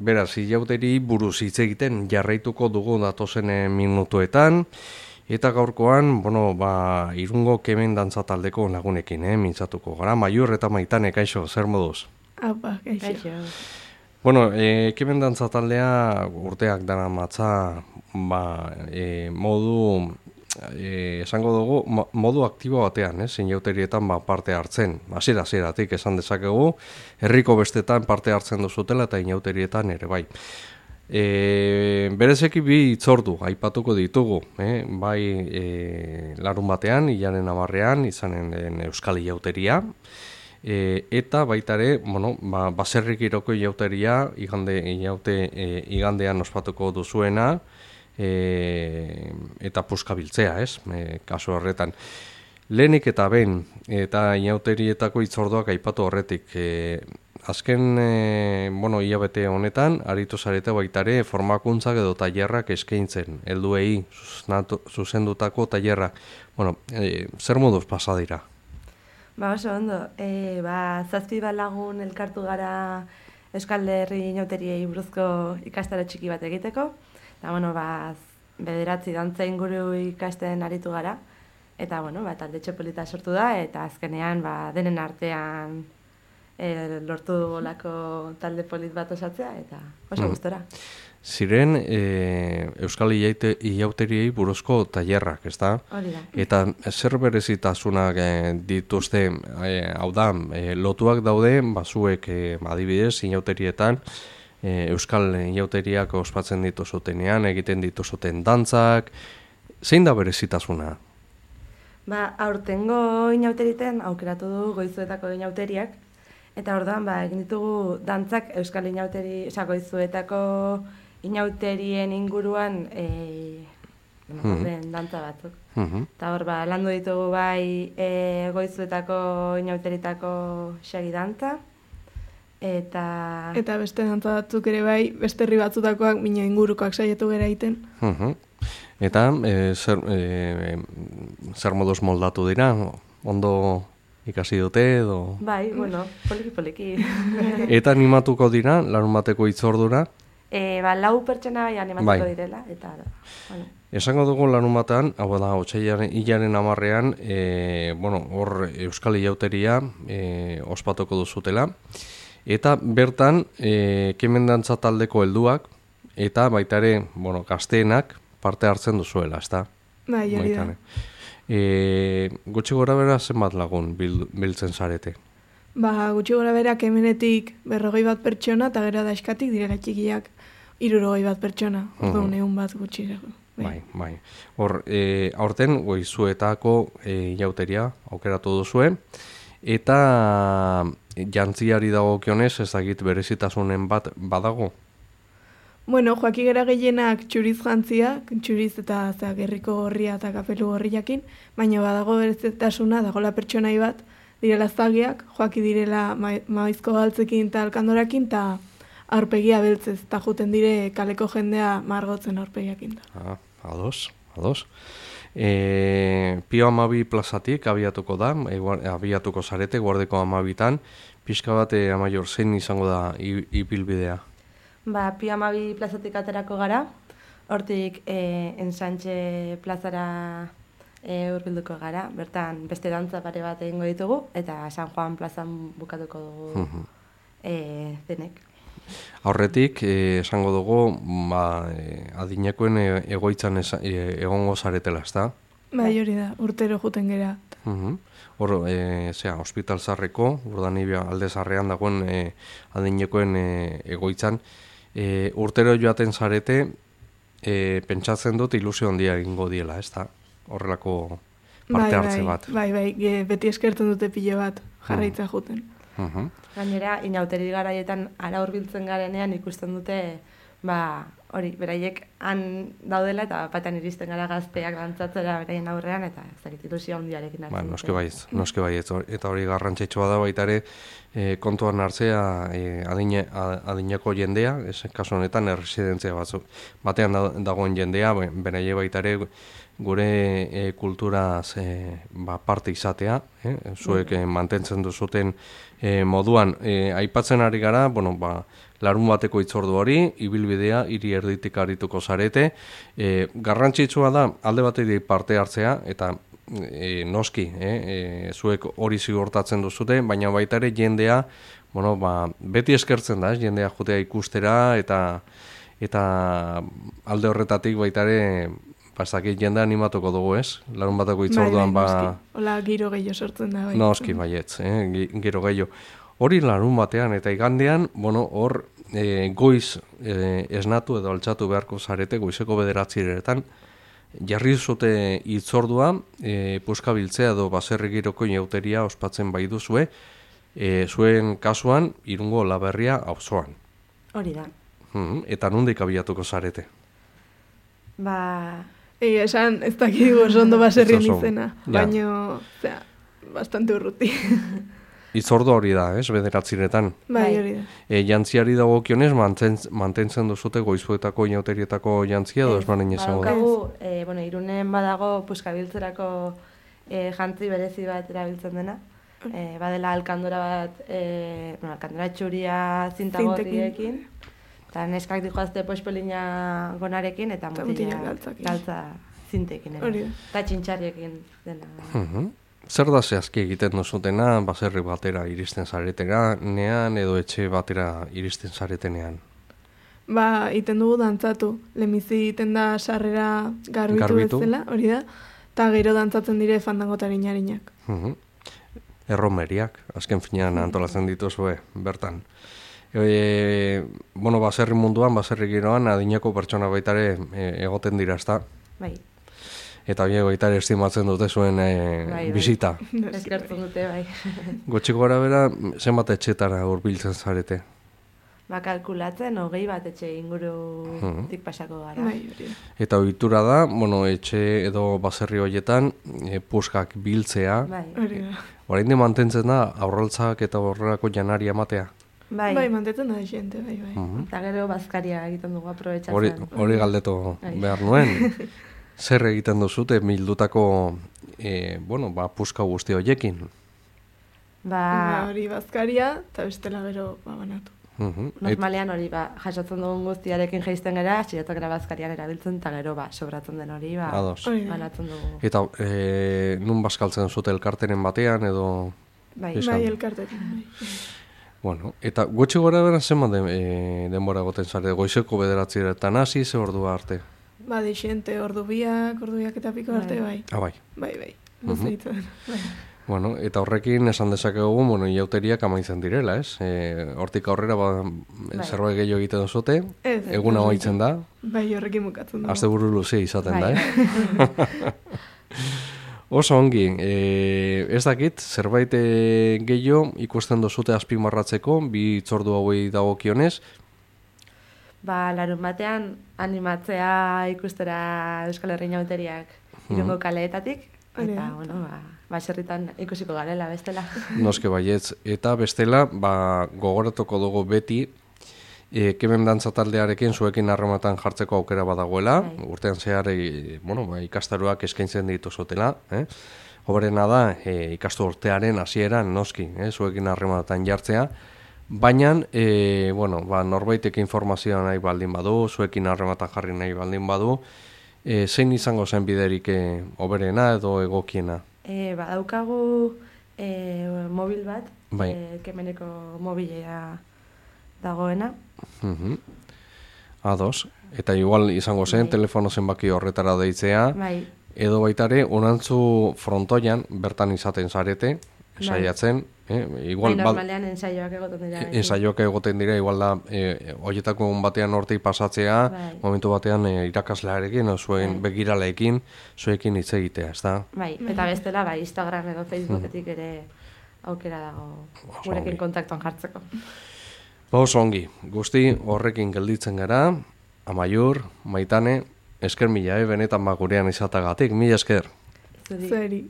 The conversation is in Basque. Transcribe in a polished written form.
beraz, ilauteri buruz hitz egiten jarraituko dugu datozen minutuetan, eta gaurkoan, Irungo Kemen dantza taldeko lagunekin, mintzatuko gara. Maiur eta Maitane, kaixo, zer moduz? Apa, kaixo. Kemen dantza taldea urteak dara matza, esango dugu, modu aktibo batean, inauterietan parte hartzen. Hasieratik esan dezakegu, herriko bestetan parte hartzen duzutela eta inauterietan ere bai. Berezeki bi itzordu aipatuko ditugu, bai larun batean, hilaren 10ean, izanen den Euskal Inauteria, eta baitare, baserrik iroko inauteria, igandean ospatuko duzuena, eta puskabiltzea, kasu horretan. Lehenik eta behin, eta inauterietako itzorduak aipatu horretik, azken hilabete honetan, aritu zarete baitare formakuntzak edo tailerrak eskaintzen, helduei zuzendutako tailerrak. Zer moduz pasa dira? Oso ondo, 7 lagun elkartu gara Euskal Herri inauteriei buruzko ikastaro txiki bat egiteko, eta 9 dantza inguru ikasten aritu gara, eta talde txopolita sortu da, eta azkenean denen artean lortu dugulako talde polit bat osatzea, eta oso gustora. Ziren Euskal Inauteriei buruzko tailerrak, ezta? Hori da. Eta zer berezitasunak dituzte, hau da, lotuak daude, zuek adibidez, inauterietan, Euskal Inauteriak ospatzen dituzutenean, egiten dituzuten dantzak, zein da berezitasuna? Aurtengo inauteriten aukeratu du Goizuetako inauteriak, eta orduan egin ditugu dantzak Euskal Inauteri, Goizuetako inauterien inguruan dantza batzuk. Eta hor landu ditugu bai Goizuetako inauteritako xagi dantza, eta beste dantza batzuk ere bai, beste herri batzutakoak mina ingurukoak saiatu gara egiten. Eta zer moduz moldatu dira? Ondo ikasi dute edo? Bai, poliki. Eta animatuko dira, larun bateko itzordura? 4 pertsona bai animatuko direla, eta Esango dugu larun batean, hau da, hilaren 10ean, hor Euskal Inauteria ospatuko duzutela, eta bertan, Kemen dantza taldeko helduak, eta baita ere, gazteenak parte hartzen duzuela, ezta? Bai, hori da. Gutxi gora bera zenbat lagun biltzen zarete? Gutxi gora bera Kemenetik 41 pertsona, eta gero daizkatik direla txikiak 61 pertsona, orduan 100 gutxi. Bai. Hor, aurten Goizuetako inauteria aukeratu duzue, eta jantziari dagokionez ezagit berezitasunen bat badago? Joaki gara gehienak txuriz jantzia, txuriz eta gerriko gorria eta kapelu gorriakin, baina badago berezitasuna, dagoela pertsonai bat, direla zagiak, joaki direla maizko galtzekin eta alkandorakin, eta aurpegia beltzez, eta juten dire kaleko jendea margotzen aurpegiakin. Ados. Pio 12 plazatik abiatuko da, abiatuko zarete, Guardeko 12tan, pixka bat Amaior zein izango da ibilbidea? Pio 12 plazatik aterako gara, hortik Ensantxe plazara hurbilduko gara, bertan beste dantza pare bat egingo ditugu, eta San Juan plazan bukatuko dugu denek. Aurretik, esango dugu, adinekoen egoitzan egongo zaretela, ezta? Bai, hori da, urtero juten gera. Hor, Hospital Zarreko, Urdanibia alde zarrean dagoen adinekoen egoitzan, urtero joaten zarete, pentsatzen dut ilusio handia egingo diela, ezta? Horrelako parte hartze bat. Bai, beti eskertzen dute pilo bat jarraitza juten. Gainera, inauteri garaietan ara hurbiltzen garenean ikusten dute, beraiek han daudela eta batean iristen gara gazteak dantzatzera beraien aurrean, eta zakit ilusio handiarekin hartzen dute. Noske bai, eta hori garrantzitsua da baita ere kontuan hartzea adineko jendea, kasu honetan erresidentzia batzuk. Batean dagoen jendea, beraie baita ere gure kulturaz parte izatea, zuek mantentzen duzuten moduan. Aipatzen ari gara, bueno, larun bateko hitzordu hori, ibilbidea hiri erditik arituko zarete. Garrantzitsua da alde batetik parte hartzea, eta noski, zuek hori zigortatzen duzute, baina baita ere jendea, bueno, beti eskertzen da, jendea jotea ikustera, eta alde horretatik baita ere, pasakit jende animatuko dugu, ez? Larun bateko hitzorduan, Hola, giro gehiago sortzen da, bai. Noski, baietz, giro gehiago. Hori larun batean eta igandean, bueno, hor goiz esnatu edo altxatu beharko zarete, goizeko 9:00 jarri zute hitzordua, puskabiltzea edo baserri giroko inauteria ospatzen bai duzue, zuen kasuan Irungo Olaberria auzoan. Hori da. Eta nondik abiatuko zarete? Esan ez dakigu oso ondo baserrien izena, baino, bastante urruti. Hitzordu hori da, ez, 9:00. Bai, hori da. Jantziari dagokionez mantentzen duzute goizuetako inauterietako jantzia edo ez baren izango da? Bueno, Irunen badago puskabiltzerako jantzi berezi bat erabiltzen dena. Badela alkandora bat, alkandora txuria zintagorriekin, eta neskak dijoazte pospelina gonarekin, eta mutila galtza zintekin. Eta txintxarriekin dena. Zer da zehazki egiten duzutena, baserri batera iristen zaretenean edo etxe batera iristen zaretenean? Iten dugu dantzatu. Lehenbizi iten da sarrera garbitu bezala, hori da, eta gero dantzatzen dire fandangotari narinak. Erromeriak, azken finean antolatzen dituzue, bertan. Bueno, baserri munduan, baserri giroan, adinako pertsona baitare egoten dira, ezta? Bai. Eta baita ere estimatzen dute zuen bisita. Eskertzen dute, bai. Gutxiko gara bera, zenbat etxetara hurbiltzen zarete? Kalkulatzen, 20 bat etxe ingurutik pasako gara. Eta ohitura da, bueno, etxe edo baserri horietan, puskak biltzea. Orain mantentzen da, aurraltzak eta horrelako janari ematea. Bai, mantentzen da jente, bai. Eta gero bazkaria egiten dugu aprobetxatzen. Hori galdetu behar nuen. Zer egiten duzute bildutako puska guzti horiekin? Hori bazkaria eta bestela gero banatu. Normalean hori jasotzen dugun guztiarekin jaisten gara, txiretokera bazkarian erabiltzen, eta gero sobratzen den hori banatzen dugu. Eta nun bazkaltzen zute elkarteren batean edo? Bai, elkarteren. Bueno, eta gutxi gora bera zenbat denbora goten zare, goizeko 9:00 hasi, ze ordua arte? Dixente, ordubiak eta piko arte, bai. Bai. Bai. Luzeitzen. Bueno, eta horrekin esan dezakegu, inauteriak amaitzen direla, ez? Hortik aurrera zerbait gehiago egiten duzute, eguna amaitzen da. Bai, horrekin bukatzen da. Asteburu luze izaten da, Oso ongi, ez dakit, zerbait gehiago ikusten duzute azpimarratzeko, bi hitzordu hauei dagokionez. Larun batean animatzea ikustera Euskal Herri inauteriak Irungo kaleetatik, eta, baserritan ikusiko garela bestela. Noske baietz, eta bestela, gogoratuko dugu beti, Kemen dantza taldearekin zuekin harrematan jartzeko aukera badagoela, urtean zehar ikastaroak eskaintzen dituzutela, hoberena da, ikastu urtearen hasieran noski, zuekin harrematan jartzea, baina, norbaitek informazioa nahi baldin badu, zuekin harrematan jarri nahi baldin badu, zein izango zen biderik hoberena edo egokiena? Badaukagu mobil bat, Kemeneko mobilea dagoena. Ados, eta igual izango zen, telefono zenbaki horretara deitzea, edo baitare, onantzu frontoian, bertan izaten zarete, saiatzen, normalean ensaioak egoten dira. Ensaioak egoten dira, igual da, horietako batean hortik pasatzea, momentu batean irakaslearekin, zuen begiraleekin, zuekin hitz egitea, ez da? Eta bestela, Instagram edo Facebooketik ere aukera dago gurekin kontaktuan jartzeko. Oso ongi, guzti horrekin gelditzen gara, Amaiur, Maitane, esker mila, benetan gurean izatagatik, mila esker. Zeri.